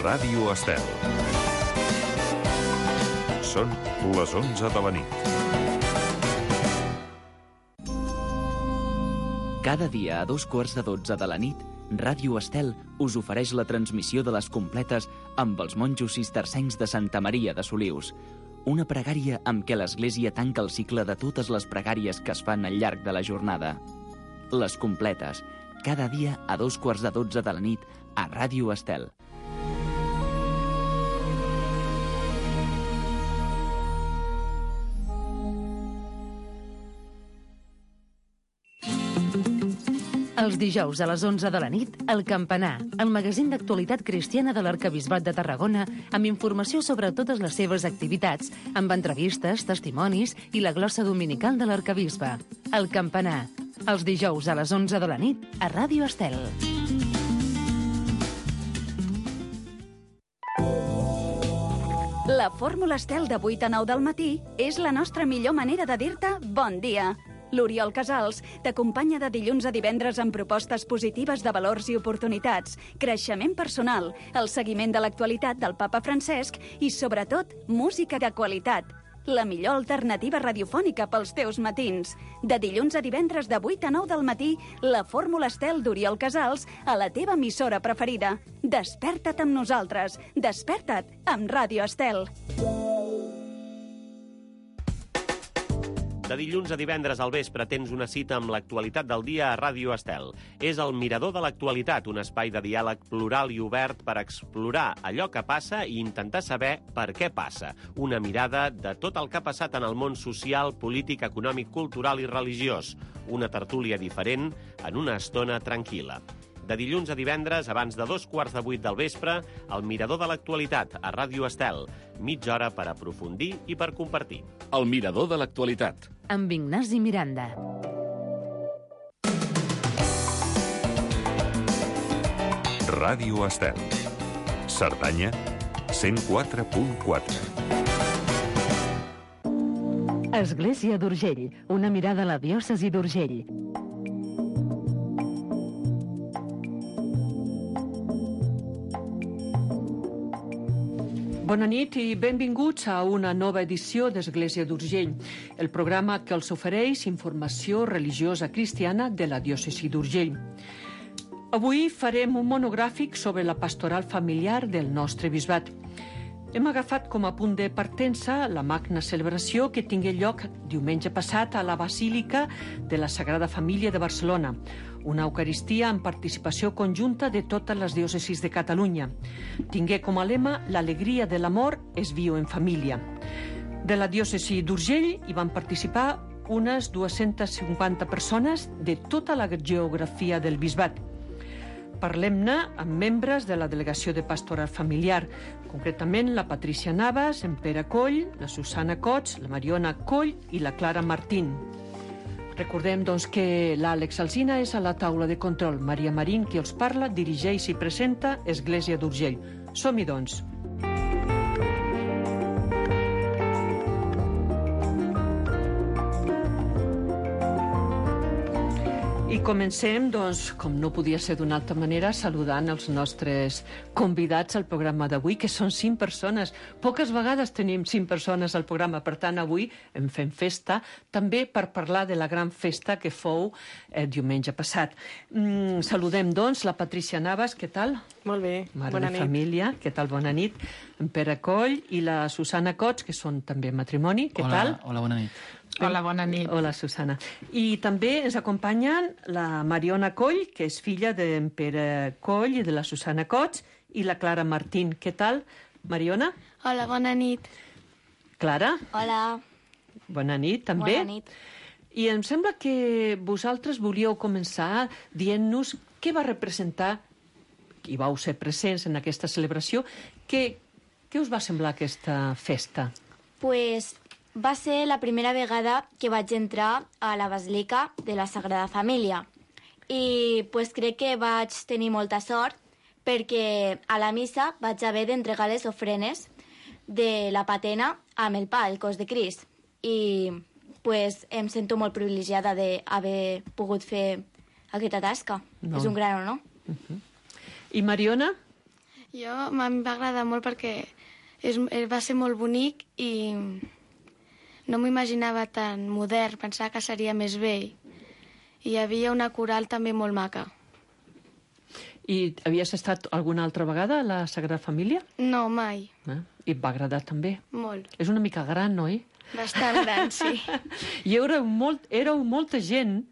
Ràdio Estel. Són les 11 de la nit. Cada dia a 2:15 de la nit, Ràdio Estel us ofereix la transmissió de les completes amb els monjos cistercencs de Santa Maria de Solius. Una pregària amb què l'Església tanca el cicle de totes les pregàries que es fan al llarg de la jornada. Les completes, cada dia a 2:15 de la nit a Ràdio Estel. Els dijous a les 11 de la nit, El Campanar, el magazín d'actualitat cristiana de l'Arquebisbat de Tarragona, amb informació sobre totes les seves activitats, amb entrevistes, testimonis i la glossa dominical de l'Arquebisbe. El Campanar, els dijous a les 11 de la nit, a Ràdio Estel. La fórmula Estel de 8 a 9 del matí és la nostra millor manera de dir-te bon dia. L'Oriol Casals t'acompanya de dilluns a divendres amb propostes positives de valors i oportunitats, creixement personal, el seguiment de l'actualitat del papa Francesc i, sobretot, música de qualitat. La millor alternativa radiofònica pels teus matins. De dilluns a divendres de 8 a 9 del matí, la fórmula Estel d'Oriol Casals a la teva emissora preferida. Desperta't amb nosaltres. Desperta't amb Ràdio Estel. De dilluns a divendres al vespre tens una cita amb l'actualitat del dia a Ràdio Estel. És el Mirador de l'Actualitat, un espai de diàleg plural i obert per explorar allò que passa i intentar saber per què passa. Una mirada de tot el que ha passat en el món social, polític, econòmic, cultural i religiós. Una tertúlia diferent en una estona tranquil·la. De dilluns a divendres, abans de 7:15 del vespre, el Mirador de l'Actualitat, a Ràdio Estel. Mitja hora per aprofundir i per compartir. El Mirador de l'Actualitat. Amb Ignasi Miranda. Ràdio Estel. Cerdanya, 104.4. Església d'Urgell, una mirada a la diòcesi d'Urgell. Bona nit i benvinguts a una nova edició d'Església d'Urgell, el programa que els ofereix informació religiosa cristiana de la diòcesi d'Urgell. Avui farem un monogràfic sobre la pastoral familiar del nostre bisbat. Hem agafat com a punt de partença la magna celebració que tingué lloc diumenge passat a la Basílica de la Sagrada Família de Barcelona, una eucaristia amb participació conjunta de totes les diòcesis de Catalunya. Tingué com a lema «L'alegria de l'amor es viu en família». De la diòcesi d'Urgell hi van participar unes 250 persones de tota la geografia del bisbat. Parlem-ne amb membres de la Delegació de Pastoral Familiar, concretament la Patrícia Navas, en Pere Coll, la Susana Cots, la Mariona Coll i la Clara Martín. Recordem, doncs, que l'Àlex Alsina és a la taula de control. Maria Marín, qui els parla, dirigeix i presenta Església d'Urgell. Som-hi, doncs. I comencem, doncs, com no podia ser d'una altra manera, saludant els nostres convidats al programa d'avui, que són 5 persones. Poques vegades tenim 5 persones al programa, per tant, avui en fem festa, també per parlar de la gran festa que fou diumenge passat. Saludem, doncs, la Patrícia Navas, què tal? Molt bé, Mare bona de nit. família, què tal? Bona nit. En Pere Coll i la Susana Cots, que són també matrimoni, què tal? Hola, bona nit. Hola, bona nit. Hola, Susana. I també ens acompanyen la Mariona Coll, que és filla d'en Pere Coll i de la Susana Cots, i la Clara Martín. Què tal, Mariona? Hola, bona nit. Clara? Hola. Bona nit, també. Bona nit. I em sembla que vosaltres volíeu començar dient-nos què va representar, i vau ser presents en aquesta celebració, què us va semblar aquesta festa? Pues va ser la primera vegada que vaig entrar a la Basílica de la Sagrada Família i pues crec que vaig tenir molta sort perquè a la missa vaig haver d'entregar les ofrenes de la patena amb el pa, el cos de Crist, i pues em sento molt privilegiada d'haver pogut fer aquesta tasca. No. És un gran honor. I Mariona? Em va agradar molt perquè va ser molt bonic i no m'ho imaginava tan modern, pensava que seria més vell. I hi havia una coral també molt maca. I havies estat alguna altra vegada a la Sagrada Família? No, mai. I et va agradar també? Molt. És una mica gran, oi? Bastant gran, sí. I éreu molta gent.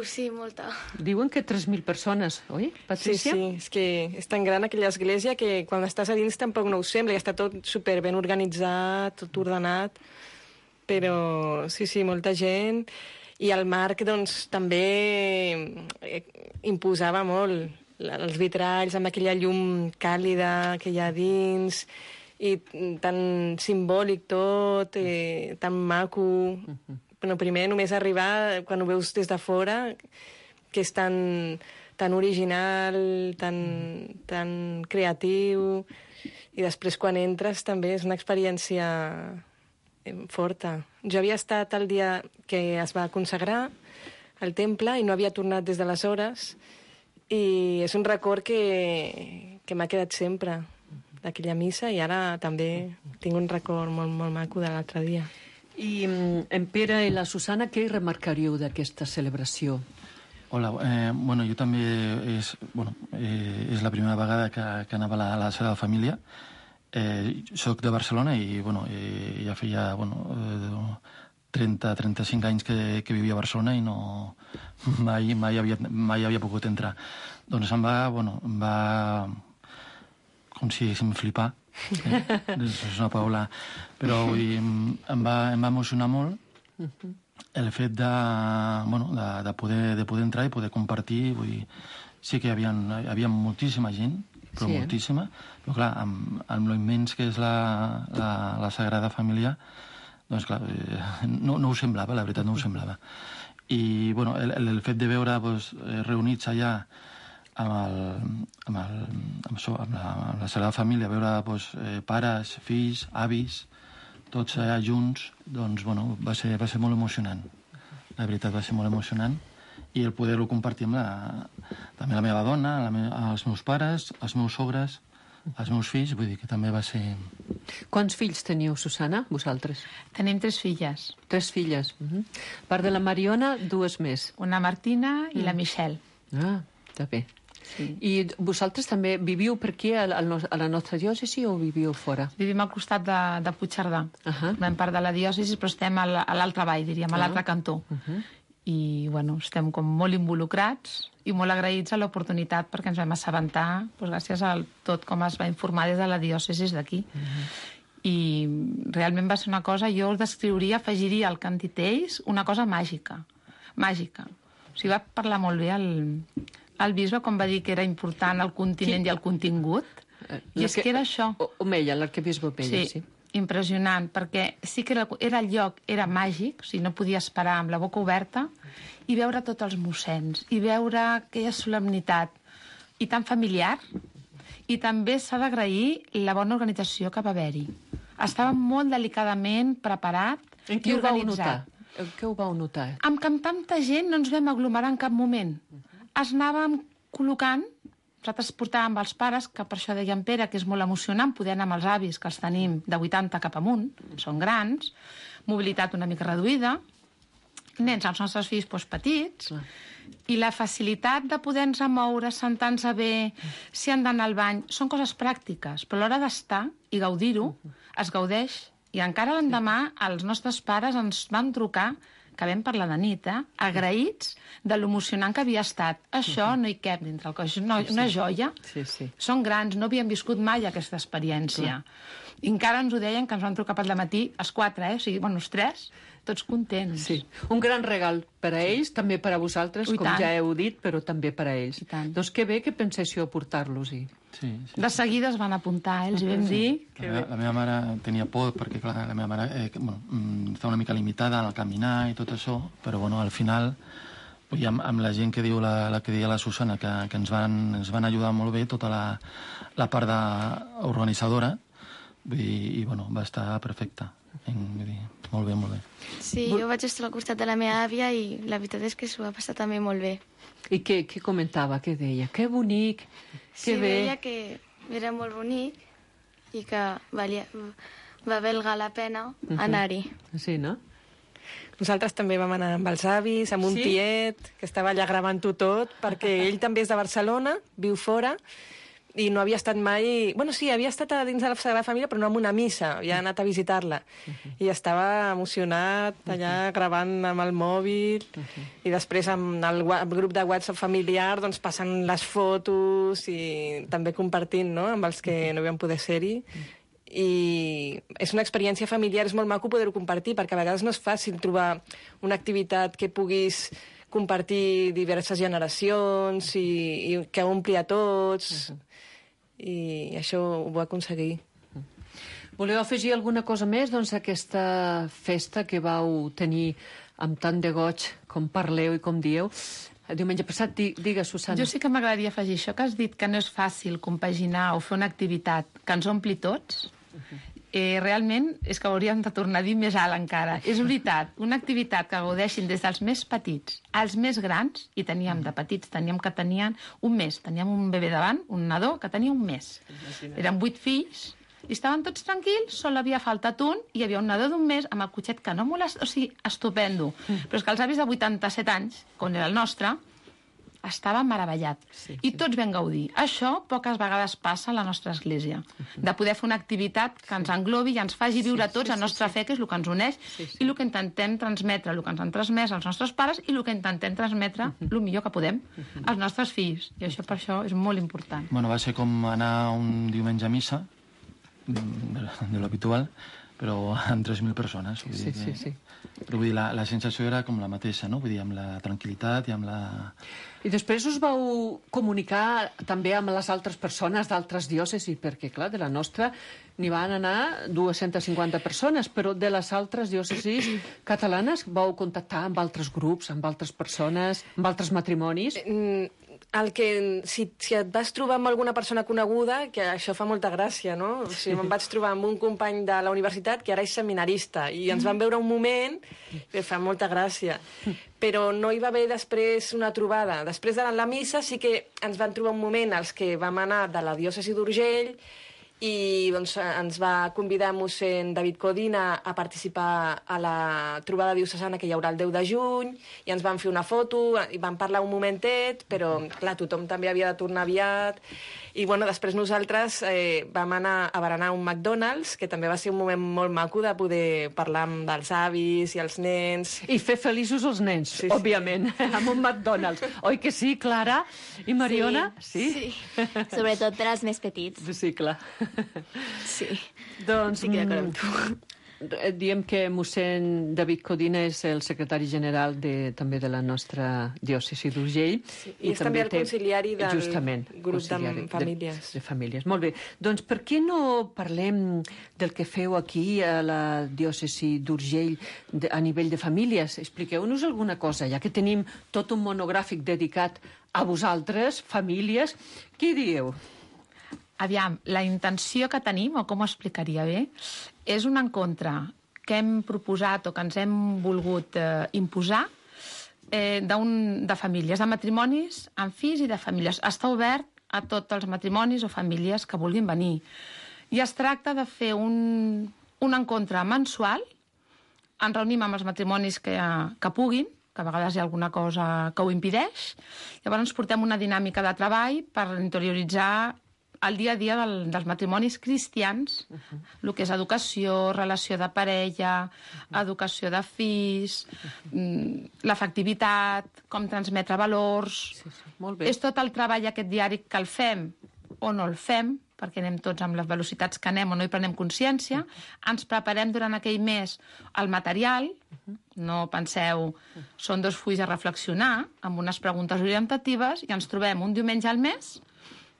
Sí, molta. Diuen que 3.000 persones, oi, Patricia? Sí, és que és tan gran aquella església que quan estàs a dins tampoc no ho sembla, i està tot super ben organitzat, tot ordenat, però sí, molta gent. I el marc, doncs, també imposava molt. Els vitralls amb aquella llum càlida que hi ha dins, i tan simbòlic tot, tan maco. Bueno, primer només arribar, quan ho veus des de fora, que és tan original, tan creatiu, i després quan entres també és una experiència forta. Jo havia estat el dia que es va consagrar el temple i no havia tornat des d'aleshores, i és un record que m'ha quedat sempre d'aquella missa, i ara també tinc un record molt, molt maco de l'altre dia. I en Pere i la Susana, què hi remarcaríeu d'aquesta celebració? Hola, bueno, jo també és la primera vegada que anava a la Sagrada Família. Soc de Barcelona i ja feia 30-35 anys que vivia a Barcelona i mai havia pogut entrar. Doncs em va com si em flipar, és una paraula, però em va emocionar molt el fet de poder entrar i poder compartir. Sí que hi havia moltíssima gent, però moltíssima, però clar, amb lo immens que és la Sagrada Família, doncs clar, no ho semblava, la veritat no ho semblava. I el fet de veure reunits allà amb la Sagrada Família, veure pares, fills, avis, tots allà junts, doncs va ser molt emocionant. La veritat va ser molt emocionant, i el poder-ho compartir amb també la meva dona, els meus pares, els meus sogres, els meus fills, vull dir que també va ser... Quants fills teniu, Susana, vosaltres? Tenim 3 filles. 3 filles. A part de la Mariona, 2 més. Una Martina i la Michelle. Ah, està bé. Sí. I vosaltres també viviu per aquí, a la nostra diòcesi, o viviu fora? Vivim al costat de Puigcerdà. Vam part de la diòcesi, però estem a l'altra vall, diríem, a l'altre cantó. I, estem com molt involucrats i molt agraïts a l'oportunitat perquè ens vam assabentar, gràcies a tot com es va informar des de la diòcesi d'aquí. I realment va ser una cosa, jo us descriuria, afegiria al Cantitells una cosa màgica. Màgica. O sigui, va parlar molt bé el bisbe quan va dir que era important el continent i el contingut. I és que era això. Omella, l'arquebisbe Omella, sí. Impressionant, perquè sí que era el lloc, era màgic, o sigui, no podies parar amb la boca oberta, i veure tots els mossens, i veure aquella solemnitat, i tan familiar, i també s'ha d'agrair la bona organització que va haver-hi. Estava molt delicadament preparat i organitzat. En què ho vau notar? Amb que amb tanta gent no ens vam aglomerar en cap moment. Es anàvem col·locant. Nosaltres portàvem els pares, que per això deia en Pere, que és molt emocionant poder anar amb els avis, que els tenim de 80 cap amunt, són grans, mobilitat una mica reduïda, nens amb els nostres fills petits, i la facilitat de poder-nos moure, sentar-nos bé, si han d'anar al bany, són coses pràctiques, però a l'hora d'estar i gaudir-ho, es gaudeix. I encara l'endemà els nostres pares ens van trucar, que vam parlar de nit, agraïts de l'emocionant que havia estat. Això no hi cap dintre el cos, una joia. Són grans, no havien viscut mai aquesta experiència. I encara ens ho deien, que ens van trucar per matí, els 4, o sigui, els 3, tots contents. Sí. Un gran regal per a ells, també per a vosaltres, com ja heu dit, però també per a ells. Doncs que bé que penséssiu a portar-los-hi. De seguida es van apuntar, els vam dir... La meva mare tenia por, perquè clar, la meva mare està una mica limitada al caminar i tot això, però al final, amb la gent que diu la que deia la Susana, que ens van ajudar molt bé, tota la part organitzadora, i va estar perfecta. Molt bé, molt bé. Sí, jo vaig estar al costat de la meva àvia i la veritat és que s'ho va passar també molt bé. I què comentava, què deia? Que bonic, que bé. Sí, deia que era molt bonic i que va valga la pena anar-hi. Sí, no? Nosaltres també vam anar amb els avis, amb un tiet, que estava allà gravant-ho tot, perquè ell també és de Barcelona, viu fora, i no havia estat mai... Bueno, sí, havia estat a dins de la Sagrada Família, però no en una missa, havia anat a visitar-la. I estava emocionat, allà gravant amb el mòbil, i després amb el grup de WhatsApp familiar, doncs passant les fotos i també compartint, no?, amb els que no vam poder ser-hi. I és una experiència familiar, és molt maco poder-ho compartir, perquè a vegades no és fàcil trobar una activitat que puguis compartir diverses generacions i que ompli a tots, i això ho va aconseguir. Voleu afegir alguna cosa més, doncs, a aquesta festa que vau tenir amb tant de goig, com parleu i com dieu? Diumenge passat, digues, Susana. Jo sí que m'agradaria afegir això que has dit, que no és fàcil compaginar o fer una activitat que ens ompli tots. Realment és que hauríem de tornar a dir més alt encara. És veritat, una activitat que gaudeixin des dels més petits als més grans, i teníem de petits, teníem que tenien un mes, teníem un bebè davant, un nadó que tenia un mes. Eren 8 fills, i estaven tots tranquils, sol havia faltat un, i hi havia un nadó d'un mes amb el cotxet que no molesta, o sigui, estupendo. Però és que els avis de 87 anys, com era el nostre, estava meravellat. I tots vam gaudir. Això poques vegades passa a la nostra església. De poder fer una activitat que ens englobi i ens faci viure a tots la nostra fe, que és el que ens uneix, i el que intentem transmetre, el que ens han transmès els nostres pares, i el que intentem transmetre el millor que podem als nostres fills. I això per això és molt important. Bueno, va ser com anar un diumenge a missa, de l'habitual, però amb 3.000 persones. Sí. Però vull dir, la sensació era com la mateixa, no? Vull dir, amb la tranquil·litat i amb la... I després us vau comunicar també amb les altres persones d'altres diòcesis, perquè, clar, de la nostra n'hi van anar 250 persones, però de les altres diòcesis catalanes vau contactar amb altres grups, amb altres persones, amb altres matrimonis? Si et vas trobar amb alguna persona coneguda, que això fa molta gràcia, no? O sigui, em vaig trobar amb un company de la universitat que ara és seminarista, i ens vam veure un moment que fa molta gràcia. Però no hi va haver després una trobada. Després de la missa sí que ens van trobar un moment els que vam anar de la diòcesi d'Urgell, i doncs, ens va convidar mossèn David Codina a participar a la trobada diocesana que hi haurà el 10 de juny, i ens van fer una foto i vam parlar un momentet, però clar, tothom també havia de tornar aviat. I bueno, després nosaltres vam anar a berenar a un McDonald's, que també va ser un moment molt maco de poder parlar amb els avis i els nens. I fer feliços els nens, òbviament, amb un McDonald's. Oi que sí, Clara i Mariona? Sí. Sobretot per als més petits. Sí, clar. Sí. Doncs, estic d'acord amb tu. Diem que mossèn David Codina és el secretari general també de la nostra diòcesi d'Urgell. Sí, i és també el conciliari del grup de famílies. De famílies. Molt bé. Doncs per què no parlem del que feu aquí a la diòcesi d'Urgell a nivell de famílies? Expliqueu-nos alguna cosa, ja que tenim tot un monogràfic dedicat a vosaltres, famílies. Què dieu? Aviam, la intenció que tenim, o com ho explicaria bé, és un encontre que hem proposat o que ens hem volgut imposar de famílies, de matrimonis amb fills i de famílies. Està obert a tots els matrimonis o famílies que vulguin venir. I es tracta de fer un encontre mensual, ens reunim amb els matrimonis que puguin, que a vegades hi ha alguna cosa que ho impedeix, llavors portem una dinàmica de treball per interioritzar el dia a dia dels matrimonis cristians, el que és educació, relació de parella, educació de fills, l'afectivitat, com transmetre valors. Molt bé. És tot el treball aquest diari que el fem o no el fem, perquè anem tots amb les velocitats que anem o no hi prenem consciència, ens preparem durant aquell mes el material, no penseu, són 2 fulls a reflexionar, amb unes preguntes orientatives, i ens trobem un diumenge al mes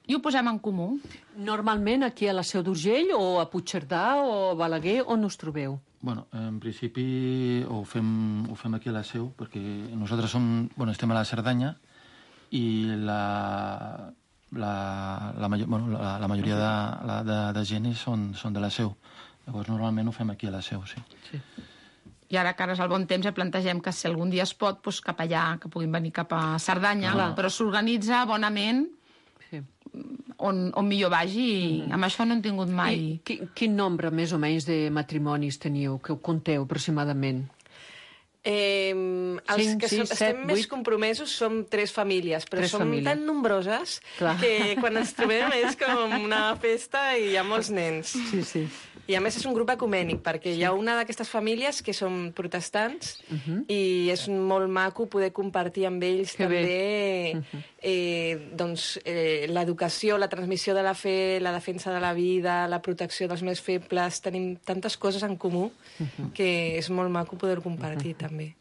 i ho posem en comú. Normalment aquí a la Seu d'Urgell, o a Puigcerdà, o a Balaguer, on us trobeu? Bueno, en principi ho fem aquí a la Seu, perquè nosaltres estem a la Cerdanya, i la majoria de gent són de la Seu. Llavors, normalment ho fem aquí a la Seu, sí. I ara que ara és el bon temps, plantegem que si algun dia es pot, doncs cap allà, que puguin venir cap a Cerdanya, però s'organitza bonament on millor vagi, i amb això no hem tingut mai... Quin nombre, més o menys, de matrimonis teniu, que ho conteu aproximadament? Els que estem més compromesos som 3 famílies, però som tan nombroses que quan ens trobem és com una festa i hi ha molts nens. Sí. I a més és un grup ecumènic, perquè hi ha una d'aquestes famílies que som protestants i és molt maco poder compartir amb ells també l'educació, la transmissió de la fe, la defensa de la vida, la protecció dels més febles. Tenim tantes coses en comú que és molt maco poder compartir també.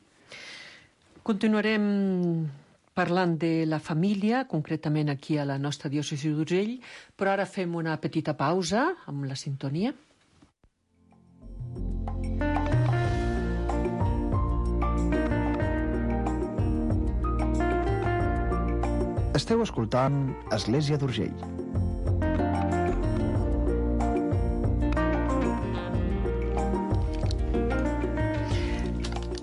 Continuarem parlant de la família, concretament aquí a la nostra diòcesi d'Urgell, però ara fem una petita pausa amb la sintonia. Esteu escoltant Església d'Urgell.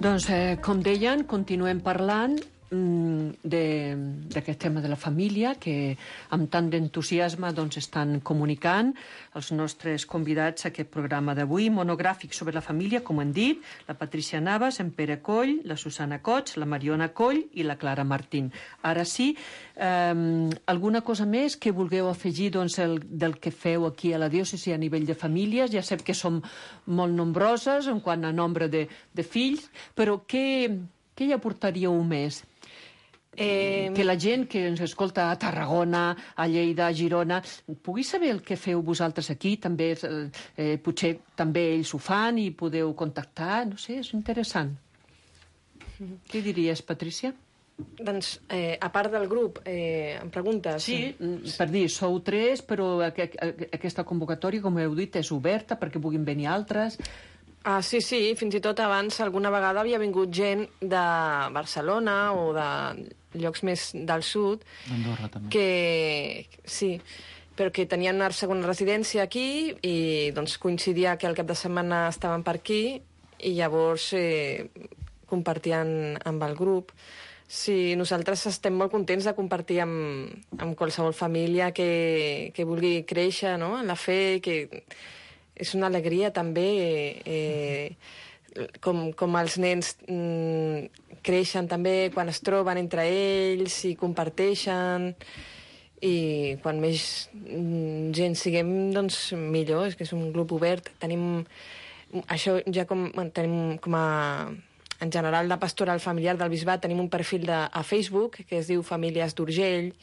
Doncs, com deien, continuem parlant d'aquest tema de la família, que amb tant d'entusiasme estan comunicant els nostres convidats a aquest programa d'avui, monogràfic sobre la família, com hem dit, la Patricia Navas, en Pere Coll, la Susana Cots, la Mariona Coll i la Clara Martín. Ara sí, alguna cosa més que vulgueu afegir del que feu aquí a la diòcesi a nivell de famílies? Ja sé que som molt nombroses en quant a nombre de fills, però què hi aportaríeu més? Que la gent que ens escolta a Tarragona, a Lleida, a Girona, pugui saber el que feu vosaltres aquí, també potser també ells ho fan i podeu contactar, no sé, és interessant. Què diries, Patricia? Doncs, a part del grup, em preguntes? Sí, per dir, sou 3, però aquesta convocatòria, com heu dit, és oberta perquè puguin venir altres. Sí, fins i tot abans alguna vegada havia vingut gent de Barcelona o de llocs més del sud. D'Andorra, també. Sí, però que tenien una segona residència aquí i doncs coincidia que el cap de setmana estaven per aquí i llavors compartien amb el grup. Sí, nosaltres estem molt contents de compartir amb qualsevol família que vulgui créixer, no?, en la fe, que és una alegria també com els nens creixen també quan es troben entre ells i comparteixen, i quan més gent siguem, doncs millor. És que és un grup obert. Tenim això ja tenim com a... En general, de pastoral familiar del Bisbat tenim un perfil a Facebook que es diu Famílies d'Urgell,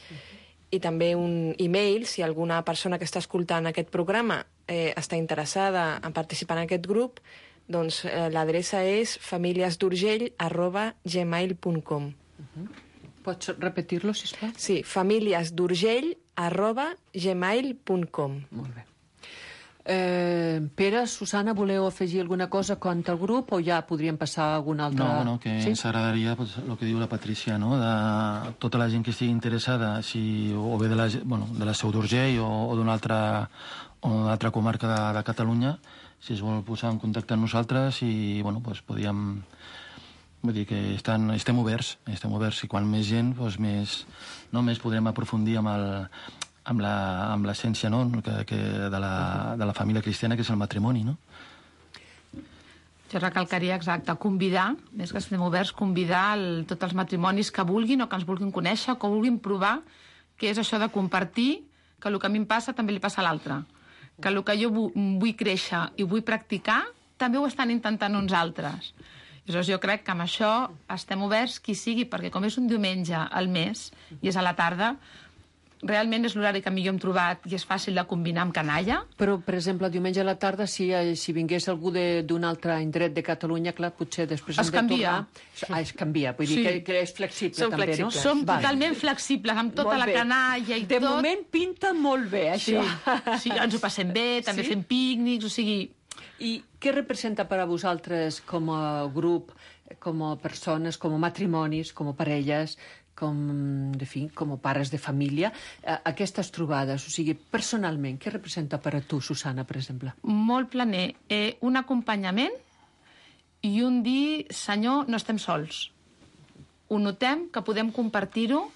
i també un e-mail, si alguna persona que està escoltant aquest programa està interessada en participar en aquest grup, doncs l'adreça és familiesdurgell@gmail.com. Pots repetir-lo, sisplau? Sí, familiesdurgell@gmail.com. Molt bé. Pere, Susana, voleu afegir alguna cosa quant al grup o ja podríem passar a alguna altra... No, que ens agradaria el que diu la Patricia, no?, de tota la gent que estigui interessada, o bé de la Seu d'Urgell o d'una altra comarca de Catalunya, si es vol posar en contacte amb nosaltres i, podíem... Vull dir que estem oberts, i quan més gent, més podrem aprofundir amb l'essència, no?, de la família cristiana, que és el matrimoni, no? Jo recalcaria, exacte, convidar, més que estem oberts, convidar tots els matrimonis que vulguin o que ens vulguin conèixer, que vulguin provar, que és això de compartir, que el que a mi em passa també li passa a l'altre. Que el que jo vull créixer i vull practicar, també ho estan intentant uns altres. Llavors jo crec que amb això estem oberts qui sigui, perquè com és un diumenge al mes i és a la tarda, realment és l'horari que millor hem trobat i és fàcil de combinar amb canalla. Però, per exemple, diumenge a la tarda, si vingués algú d'un altre indret de Catalunya, clar, potser després hem de tornar... Es canvia, vull dir que és flexible també, no? Som totalment flexibles, amb tota la canalla i tot. De moment pinta molt bé, això. Sí, ens ho passem bé, també fem pícnics, o sigui... I què representa per a vosaltres com a grup, com a persones, com a matrimonis, com a parelles, com a pares de família, aquestes trobades? O sigui, personalment, què representa per a tu, Susana, per exemple? Molt planer. Un acompanyament i un dir, Senyor, no estem sols. Ho notem, que podem compartir-ho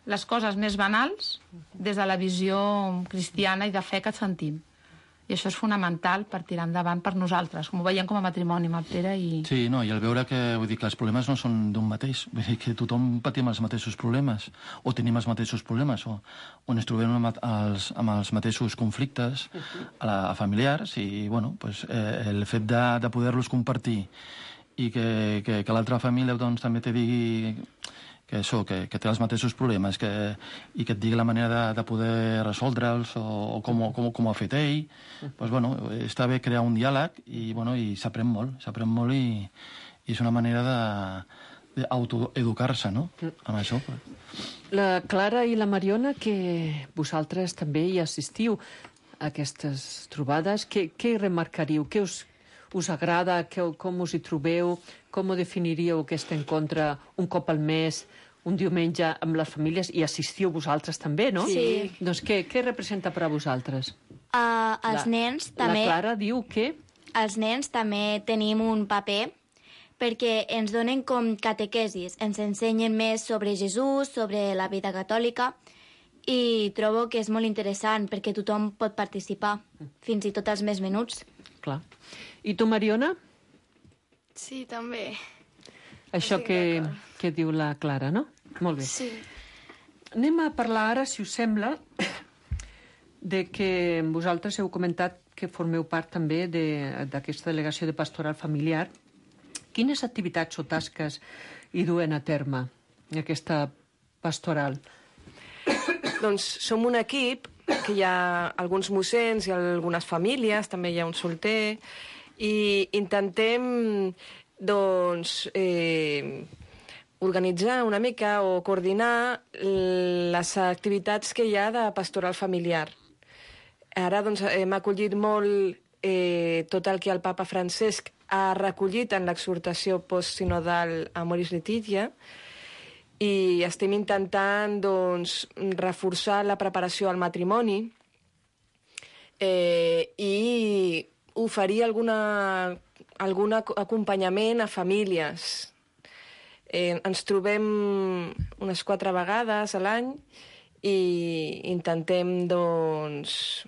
les coses més banals des de la visió cristiana i de fe que sentim. I això és fonamental per tirar endavant per nosaltres, com ho veiem com a matrimoni amb el Pere. Sí, no, i el veure que, vull dir, que els problemes no són d'un mateix, vull dir que tothom patim els mateixos problemes, o tenim els mateixos problemes, o ens trobem amb els mateixos conflictes a familiars, i, bueno, pues, el fet de poder-los compartir i que l'altra família doncs, també te digui que té els mateixos problemes i que et digui la manera de poder resoldre'ls o com ho ha fet ell, doncs, bueno, està bé crear un diàleg i s'aprèn molt i és una manera d'autoeducar-se, no?, amb això. La Clara i la Mariona, que vosaltres també hi assistiu a aquestes trobades, què hi remarcaríu? Què us agrada? Com us hi trobeu? Com ho definiríeu, aquest encontre, un cop al mes, un diumenge amb les famílies? I assistiu vosaltres també, no? Sí. Doncs què representa per a vosaltres? Els nens també... La Clara diu que... Els nens també tenim un paper perquè ens donen com catequesis, ens ensenyen més sobre Jesús, sobre la vida catòlica, i trobo que és molt interessant perquè tothom pot participar, fins i tot els més menuts. Clar. I tu, Mariona? Sí, també. Això que diu la Clara, no? Molt bé. Sí. Anem a parlar ara, si us sembla, de que vosaltres heu comentat que formeu part també d'aquesta delegació de pastoral familiar. Quines activitats o tasques hi duen a terme, aquesta pastoral? Doncs som un equip que hi ha alguns mossens i algunes famílies, també hi ha un solter, i intentem, doncs, organitzar una mica o coordinar les activitats que hi ha de pastoral familiar. Ara, doncs, hem acollit molt tot el que el papa Francesc ha recollit en l'exhortació postsinodal Amoris Laetitia, i estem intentant, doncs, reforçar la preparació al matrimoni i oferir algun acompanyament a famílies. Ens trobem unes 4 vegades a l'any i intentem, doncs,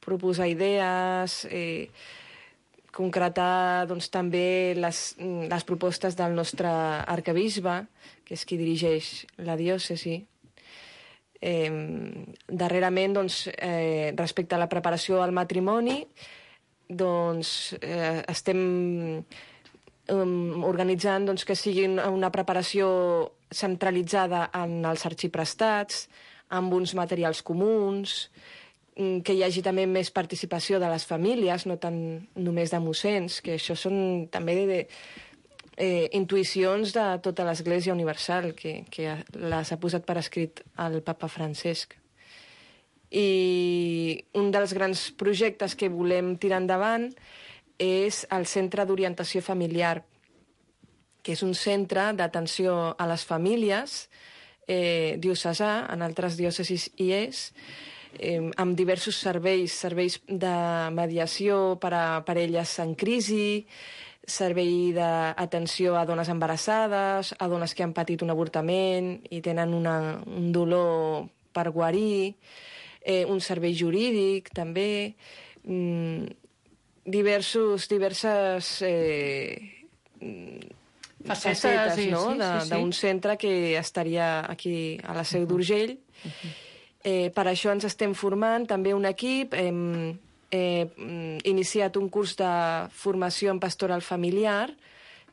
proposar idees, concretar, doncs, també les propostes del nostre arquebisbe, que és qui dirigeix la diòcesi. Darrerament, doncs, respecte a la preparació al matrimoni, doncs, estem organitzant, doncs, que sigui una preparació centralitzada en els arxiprestats, amb uns materials comuns, que hi hagi també més participació de les famílies, no tant només de mossens, que això són també intuïcions de tota l'Església Universal, que les ha posat per escrit el papa Francesc. I un dels grans projectes que volem tirar endavant és el Centre d'Orientació Familiar, que és un centre d'atenció a les famílies diocesà, en altres diòcesis hi és, amb diversos serveis de mediació per a parelles en crisi, servei d'atenció a dones embarassades, a dones que han patit un avortament i tenen un dolor per guarir, un servei jurídic també, diverses facetes, no? D'un centre que estaria aquí a la Seu d'Urgell. Per això ens estem formant també un equip, hem iniciat un curs de formació en pastoral familiar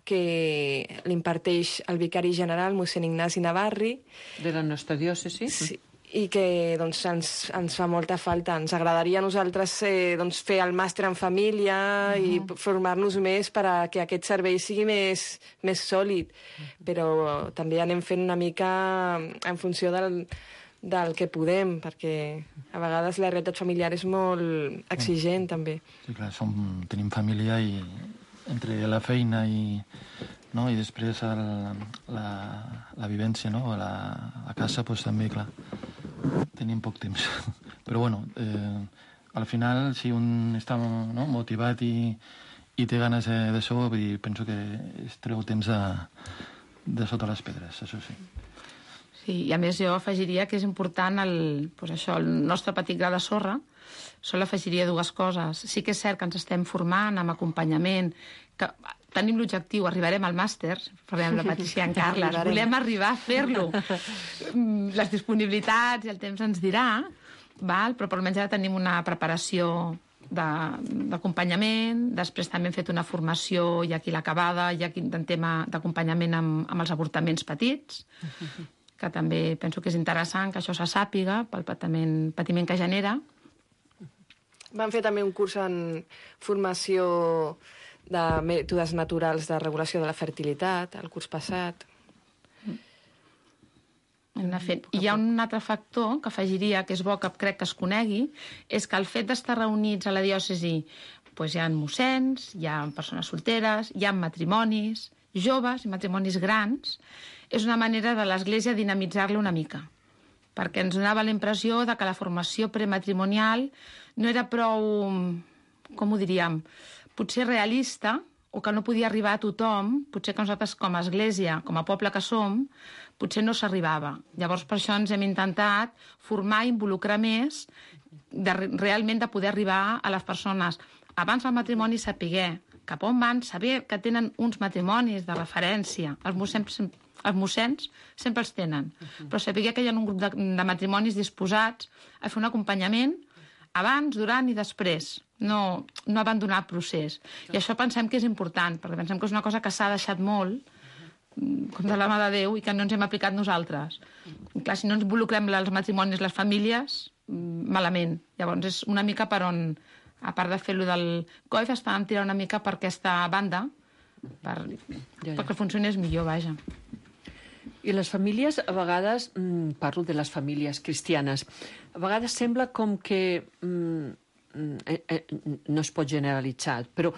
que l'imparteix el vicari general, mossèn Ignasi Navarri. De la nostra diòcesi. Sí, i que, doncs, ens fa molta falta. Ens agradaria a nosaltres doncs, fer el màster en família i formar-nos més perquè aquest servei sigui més sòlid. Però també anem fent una mica en funció del que podem, perquè a vegades la realitat familiar és molt exigent, també. Sí, clar, tenim família i entre la feina i després la vivència, no? A casa, doncs també, clar, tenim poc temps. Però, bueno, al final, si un està motivat i té ganes d'això, penso que es treu temps de sota les pedres, això sí. Sí, Sí, i a més jo afegiria que és important el nostre petit gra de sorra. Sol afegiria dues coses. Sí que és cert que ens estem formant amb acompanyament, que tenim l'objectiu, arribarem al màster, parlem amb la Patricia i en Carles, volem arribar a fer-lo. Les disponibilitats i el temps ens dirà, però per almenys ara tenim una preparació d'acompanyament, després també hem fet una formació ja aquí l'acabada, ja aquí en tema d'acompanyament amb els avortaments petits, que també penso que és interessant que això se sàpiga pel patiment que genera. Vam fer també un curs en formació de mètodes naturals de regulació de la fertilitat, el curs passat. Hi ha un altre factor que afegiria, que és bo que crec que es conegui, és que el fet d'estar reunits a la diòcesi hi ha mossens, hi ha persones solteres, hi ha matrimonis joves i matrimonis grans, és una manera de l'Església dinamitzar-la una mica, perquè ens donava la impressió de que la formació prematrimonial no era prou, com ho diríem, potser realista, o que no podia arribar a tothom, potser que nosaltres com a Església, com a poble que som, potser no s'arribava. Llavors per això ens hem intentat formar i involucrar més realment de poder arribar a les persones. Abans del matrimoni saber cap on van, saber que tenen uns matrimonis de referència. Els mossens sempre els tenen, però saber que hi ha un grup de matrimonis disposats a fer un acompanyament abans, durant i després. No abandonar el procés. I això pensem que és important, perquè pensem que és una cosa que s'ha deixat molt, com de la mà de Déu, i que no ens hem aplicat nosaltres. I clar, si no ens involucrem els matrimonis, les famílies, malament. Llavors és una mica per on, a part de fer-lo del COIF, estàvem tirant una mica per aquesta banda, perquè funcionés millor, vaja. I les famílies, a vegades, parlo de les famílies cristianes, a vegades sembla com que no es pot generalitzar, però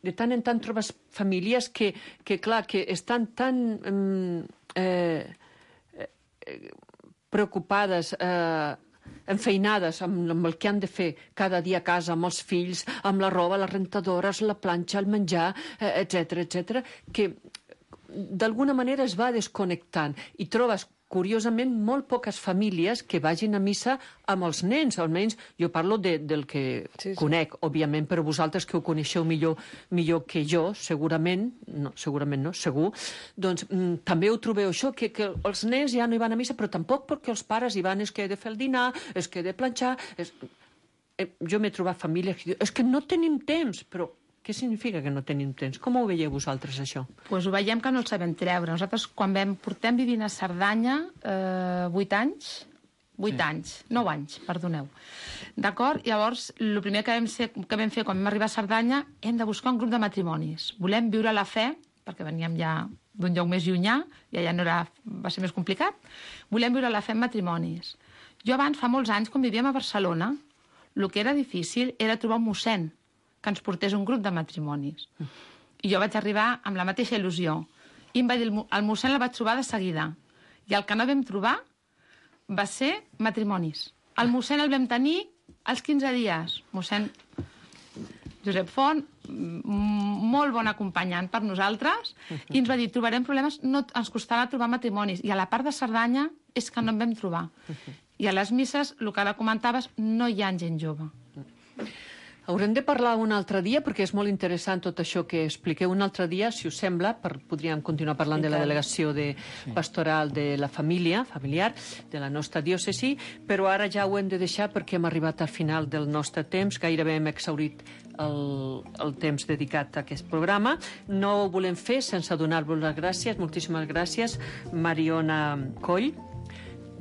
de tant en tant trobes famílies que clar, que estan tan preocupades, enfeinades amb el que han de fer cada dia a casa, amb els fills, amb la roba, les rentadores, la planxa, el menjar, etc., que d'alguna manera es va desconnectant i trobes, curiosament, molt poques famílies que vagin a missa amb els nens, almenys jo parlo del que conec, òbviament, però vosaltres que ho coneixeu millor que jo, segurament no, segur, doncs també ho trobeu això, que els nens ja no hi van a missa, però tampoc perquè els pares hi van, és que he de fer el dinar, és que he de planxar... Jo m'he trobat famílies que diuen, és que no tenim temps, però què significa que no tenim temps? Com ho veieu vosaltres, això? Doncs ho veiem que no el sabem treure. Nosaltres, quan portem vivint a Cerdanya 8 anys, 9 anys, perdoneu. D'acord? Llavors, el primer que vam fer quan vam arribar a Cerdanya, hem de buscar un grup de matrimonis. Volem viure la fe, perquè veníem ja d'un lloc més llunyà, i allà va ser més complicat. Volem viure la fe en matrimonis. Jo abans, fa molts anys, quan vivíem a Barcelona, el que era difícil era trobar un mossèn que ens portés un grup de matrimonis. I jo vaig arribar amb la mateixa il·lusió. I em va dir, el mossèn el vaig trobar de seguida. I el que no vam trobar va ser matrimonis. El mossèn el vam tenir als 15 dies. Mossèn Josep Font, molt bon acompanyant per nosaltres, i ens va dir, trobarem problemes, no ens costarà trobar matrimonis. I a la part de Cerdanya és que no en vam trobar. I a les misses, el que ara comentaves, no hi ha gent jove. Haurem de parlar un altre dia, perquè és molt interessant tot això que expliqueu un altre dia, si us sembla, podríem continuar parlant de la delegació pastoral de la familiar, de la nostra diòcesi, però ara ja ho hem de deixar perquè hem arribat al final del nostre temps, gairebé hem exhaurit el temps dedicat a aquest programa. No ho volem fer sense donar-vos les gràcies, moltíssimes gràcies, Mariona Coll.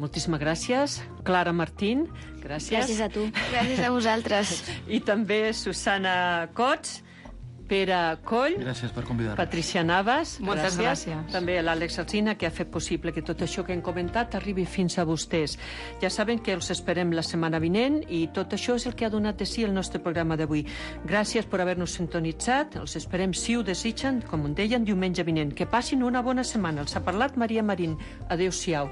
Moltíssimes gràcies. Clara Martín, gràcies. Gràcies a tu. Gràcies a vosaltres. I també Susana Cots, Pere Coll. Gràcies per convidar-nos. Patricia Navas. Moltes gràcies. També l'Àlex Alsina, que ha fet possible que tot això que hem comentat arribi fins a vostès. Ja saben que els esperem la setmana vinent i tot això és el que ha donat de si el nostre programa d'avui. Gràcies per haver-nos sintonitzat. Els esperem, si ho desitgen, com deien, diumenge vinent. Que passin una bona setmana. Els ha parlat Maria Marín. Adéu-siau.